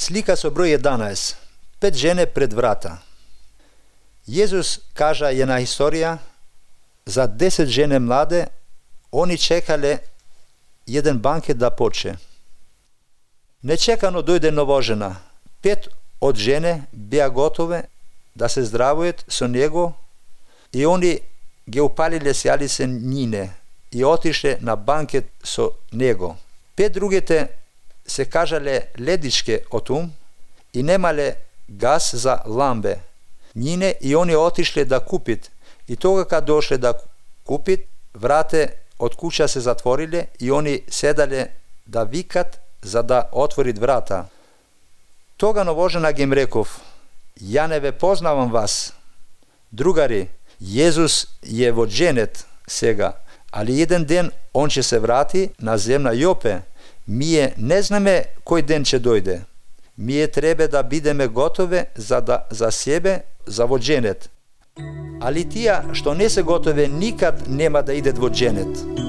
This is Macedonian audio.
Слика со број 11. 5 жене пред врата. Језус кажа една историја за 10 жене младе, они чекале еден банкет да почне. Нечекано дојде новожена. 5 од жене беа готове да се здравујат со него и они ги упалиле сјалице нине и отишле на банкет со него. 5 другите се кажале ледичке од ум и немале газ за ламбе. Нине и они отишле да купит и тога кога дошле да купит, врате од куќа се затвориле и они седале да викат за да отворит врата. Тога новожена ги им реков: ја не ве познавам вас. Другари, Језус е во Дженет сега, али еден ден он ќе се врати на земја Јопе. Мие не знаме кој ден ќе дојде. Мие требе да бидеме готове за себе, за во Дженет. Али тие што не се готове никад нема да идат во Дженет.